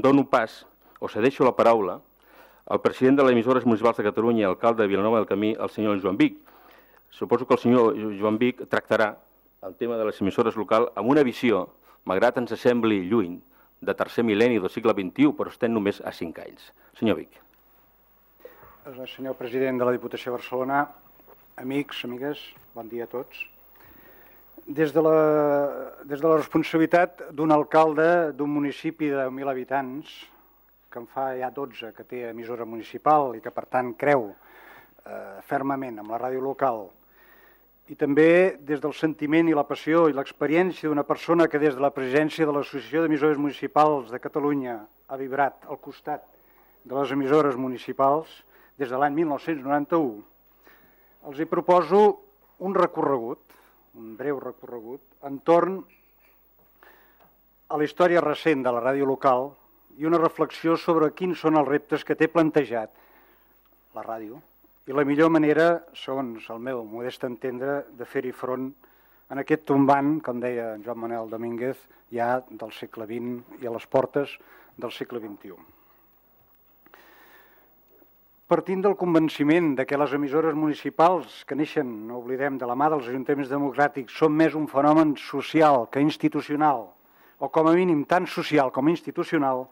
dono pas, o cedeixo la paraula, al president de les emissores municipals de Catalunya i alcalde de Vilanova del Camí, el senyor Joan Vic. Suposo que el senyor Joan Vic tractarà el tema de les emissores locals amb una visió, malgrat ens sembli lluny, de tercer mil·lenni del segle XXI, però estem només a 5 anys. Senyor Vic. Senyor president de la Diputació de Barcelona, amics, amigues, bon dia a tots. Des de la responsabilitat d'un alcalde d'un municipi de 1.000 habitants, que en fa ja 12 que té emissora municipal i que per tant creu fermament amb la ràdio local, i també des del sentiment i la passió i l'experiència d'una persona que des de la presidència de l'Associació d'Emissores Municipals de Catalunya ha vibrat al costat de les emissores municipals des de l'any 1991, els hi proposo un recorregut, un breu recorregut, entorn a la història recent de la ràdio local i una reflexió sobre quins són els reptes que té plantejat la ràdio i la millor manera, segons el meu modest entendre, de fer-hi front en aquest tombant, com deia Joan Manuel Domínguez, ja del segle XX i a les portes del segle XXI. Partint del convenciment de que les emissores municipals que neixen, no oblidem, de la mà dels ajuntaments democràtics són més un fenomen social que institucional, o com a mínim tant social com institucional,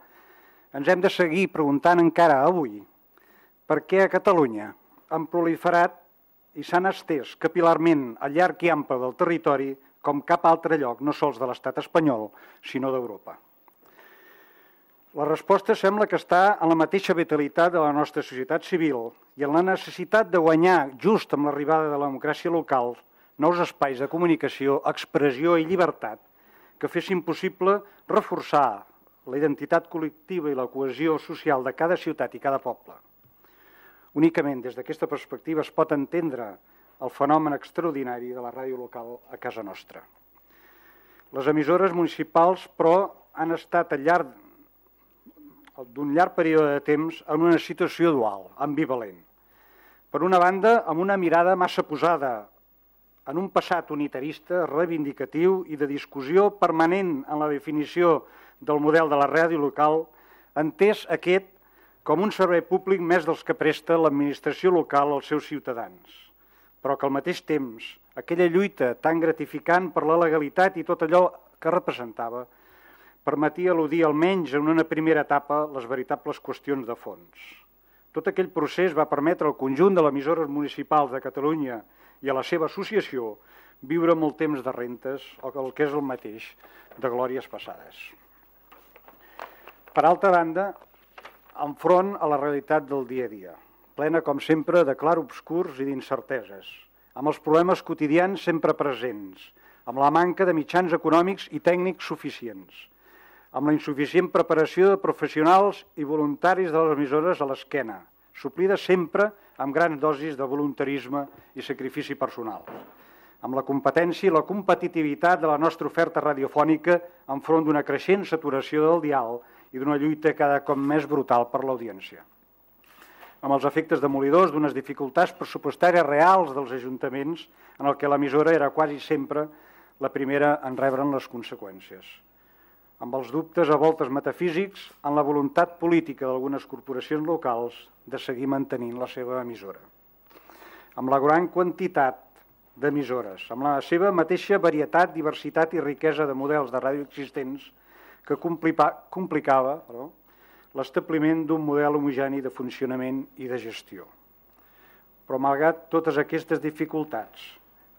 ens hem de seguir preguntant encara avui per què a Catalunya han proliferat i s'han estès capil·larment al llarg i ample del territori com cap altre lloc, no sols de l'estat espanyol, sinó d'Europa. La resposta sembla que està en la mateixa vitalitat de la nostra societat civil i en la necessitat de guanyar, just amb l'arribada de la democràcia local, nous espais de comunicació, expressió i llibertat que fessin possible reforçar la identitat col·lectiva i la cohesió social de cada ciutat i cada poble. Únicament des d'aquesta perspectiva es pot entendre el fenomen extraordinari de la ràdio local a casa nostra. Les emissores municipals, però, han estat al llarg d'un llarg període de temps en una situació dual, ambivalent. Per una banda, amb una mirada massa posada en un passat unitarista, reivindicatiu i de discussió permanent en la definició del model de la ràdio local, entès aquest com un servei públic més dels que presta l'administració local als seus ciutadans, però que al mateix temps aquella lluita tan gratificant per la legalitat i tot allò que representava permetia eludir almenys en una primera etapa les veritables qüestions de fons. Tot aquell procés va permetre al conjunt de les emissores municipals de Catalunya i a la seva associació viure molt temps de rentes o el que és el mateix de glòries passades. Per altra banda, enfront a la realitat del dia a dia, plena, com sempre, de clarobscurs i d'incerteses, amb els problemes quotidians sempre presents, amb la manca de mitjans econòmics i tècnics suficients, amb la insuficient preparació de professionals i voluntaris de les emissores a l'esquena, suplida sempre amb grans dosis de voluntarisme i sacrifici personal, amb la competència i la competitivitat de la nostra oferta radiofònica enfront d'una creixent saturació del dial i d'una lluita cada cop més brutal per l'audiència. Amb els efectes demolidors d'unes dificultats pressupostàries reals dels ajuntaments en el que l'emissora era quasi sempre la primera en rebre'n les conseqüències. Amb els dubtes a voltes metafísics en la voluntat política d'algunes corporacions locals de seguir mantenint la seva emissora. Amb la gran quantitat d'emissores, amb la seva mateixa varietat, diversitat i riquesa de models de ràdio existents que complicava l'establiment d'un model homogeni de funcionament i de gestió. Però malgrat totes aquestes dificultats,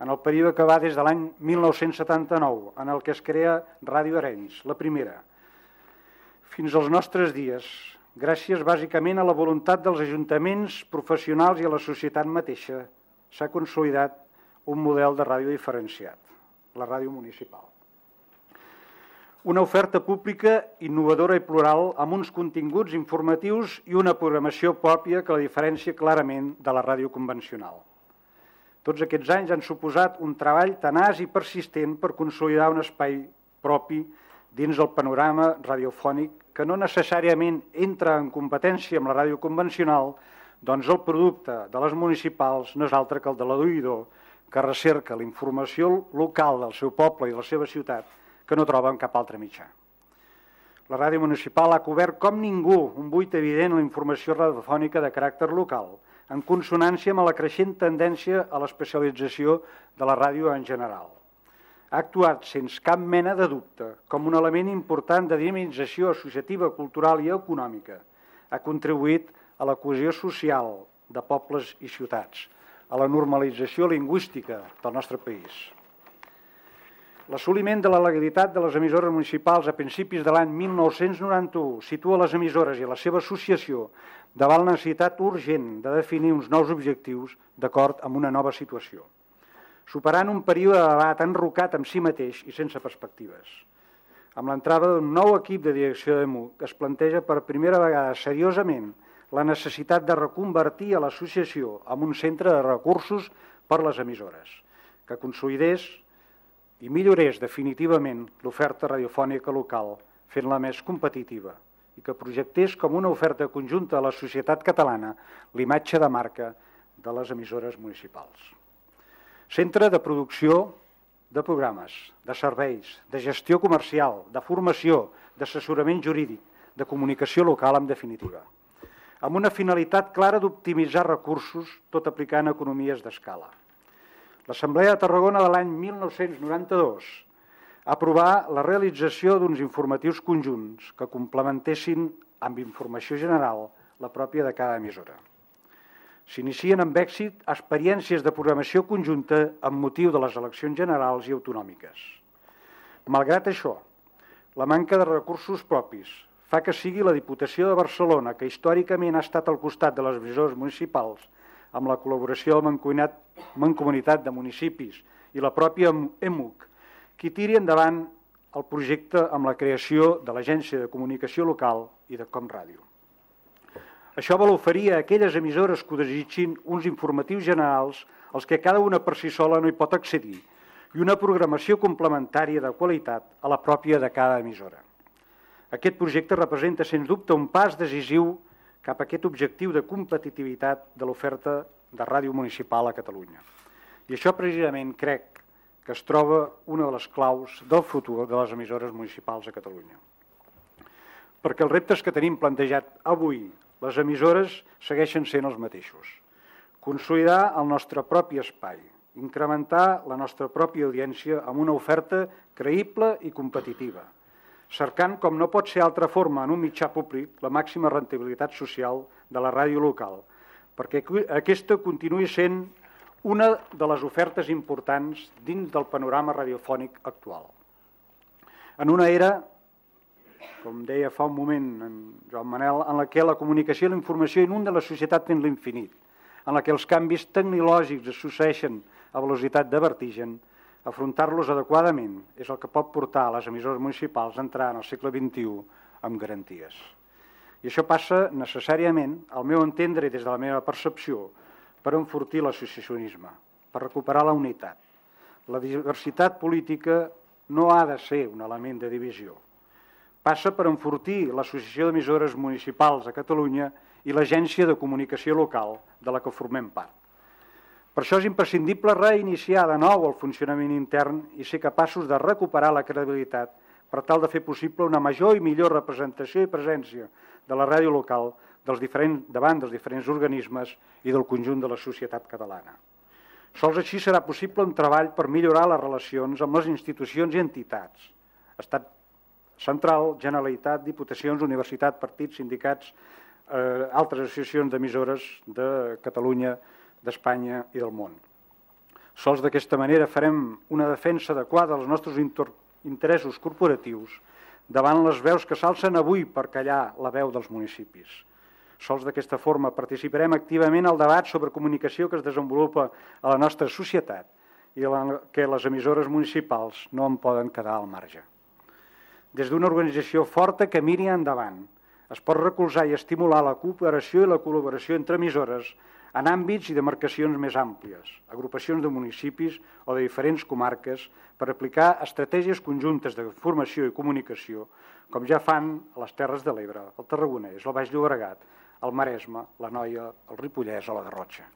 en el període que va des de l'any 1979, en el que es crea Ràdio Arenys, la primera, fins als nostres dies, gràcies bàsicament a la voluntat dels ajuntaments professionals i a la societat mateixa, s'ha consolidat un model de ràdio diferenciat, la ràdio municipal. Una oferta pública innovadora i plural amb uns continguts informatius i una programació pròpia que la diferencia clarament de la ràdio convencional. Tots aquests anys han suposat un treball tenaç i persistent per consolidar un espai propi dins el panorama radiofònic que no necessàriament entra en competència amb la ràdio convencional, doncs el producte de les municipals no és altre que el de l'oïdor que recerca la informació local del seu poble i de la seva ciutat que no troba en cap altre mitjà. La ràdio municipal ha cobert com ningú un buit evident en la informació radiofònica de caràcter local, en consonància amb la creixent tendència a l'especialització de la ràdio en general. Ha actuat sense cap mena de dubte com un element important de dinamització associativa, cultural i econòmica. Ha contribuït a la cohesió social de pobles i ciutats, a la normalització lingüística del nostre país. L'assoliment de la legalitat de les emissores municipals a principis de l'any 1991 situa les emissores i la seva associació davant la necessitat urgent de definir uns nous objectius d'acord amb una nova situació, superant un període de debat enrocat amb si mateix i sense perspectives. Amb l'entrada d'un nou equip de direcció d'EMUC es planteja per primera vegada seriosament la necessitat de reconvertir a l'associació en un centre de recursos per a les emissores, que consolidés i millorés definitivament l'oferta radiofònica local, fent-la més competitiva, i que projectés com una oferta conjunta a la societat catalana l'imatge de marca de les emissores municipals. Centre de producció de programes, de serveis, de gestió comercial, de formació, d'assessorament jurídic, de comunicació local, en definitiva, amb una finalitat clara d'optimitzar recursos, tot aplicant economies d'escala. L'Assemblea de Tarragona de l'any 1992 aprovar la realització d'uns informatius conjunts que complementessin amb informació general la pròpia de cada emissora. S'inicien amb èxit experiències de programació conjunta amb motiu de les eleccions generals i autonòmiques. Malgrat això, la manca de recursos propis fa que sigui la Diputació de Barcelona, que històricament ha estat al costat de les emissores municipals, amb la col·laboració de la Mancomunitat de Municipis i la pròpia EMUC, qui tiri endavant el projecte amb la creació de l'Agència de Comunicació Local i de ComRàdio. Això vol oferir a aquelles emissores que ho desitgin uns informatius generals als que cada una per si sola no hi pot accedir i una programació complementària de qualitat a la pròpia de cada emissora. Aquest projecte representa, sens dubte, un pas decisiu cap a aquest objectiu de competitivitat de l'oferta de ràdio municipal a Catalunya. I això precisament crec que es troba una de les claus del futur de les emissores municipals a Catalunya. Perquè els reptes que tenim plantejat avui, les emissores segueixen sent els mateixos. Consolidar el nostre propi espai, incrementar la nostra pròpia audiència amb una oferta creïble i competitiva, cercant, com no pot ser altra forma en un mitjà públic, la màxima rendibilitat social de la ràdio local, perquè aquesta continuï sent una de les ofertes importants dins del panorama radiofònic actual. En una era, com deia fa un moment en Joan Manel, en la que la comunicació i la informació inunden la societat fins l'infinit, en la que els canvis tecnològics es succeeixen a velocitat de vertigen, afrontar-los adequadament és el que pot portar a les emissores municipals a entrar en el segle XXI amb garanties. I això passa necessàriament, al meu entendre i des de la meva percepció, per enfortir l'associacionisme, per recuperar la unitat. La diversitat política no ha de ser un element de divisió. Passa per enfortir l'Associació d'Emissores Municipals a Catalunya i l'Agència de Comunicació Local, de la que formem part. Per això és imprescindible reiniciar de nou el funcionament intern i ser capaços de recuperar la credibilitat per tal de fer possible una major i millor representació i presència de la ràdio local davant dels diferents organismes i del conjunt de la societat catalana. Sols així serà possible un treball per millorar les relacions amb les institucions i entitats, Estat central, Generalitat, Diputacions, Universitat, partits, sindicats, altres associacions d'emissores de Catalunya, d'Espanya i del món. Sols d'aquesta manera farem una defensa adequada dels nostres interessos corporatius davant les veus que s'alcen avui per callar la veu dels municipis. Sols d'aquesta forma participarem activament al debat sobre comunicació que es desenvolupa a la nostra societat i que les emissores municipals no en poden quedar al marge. Des d'una organització forta que miri endavant, es pot recolzar i estimular la cooperació i la col·laboració entre emissores en àmbits i demarcacions més àmplies, agrupacions de municipis o de diferents comarques per aplicar estratègies conjuntes de formació i comunicació, com ja fan a les Terres de l'Ebre, el Tarragonès, el Baix Llobregat, el Maresme, l'Anoia, el Ripollès o la Garrotxa.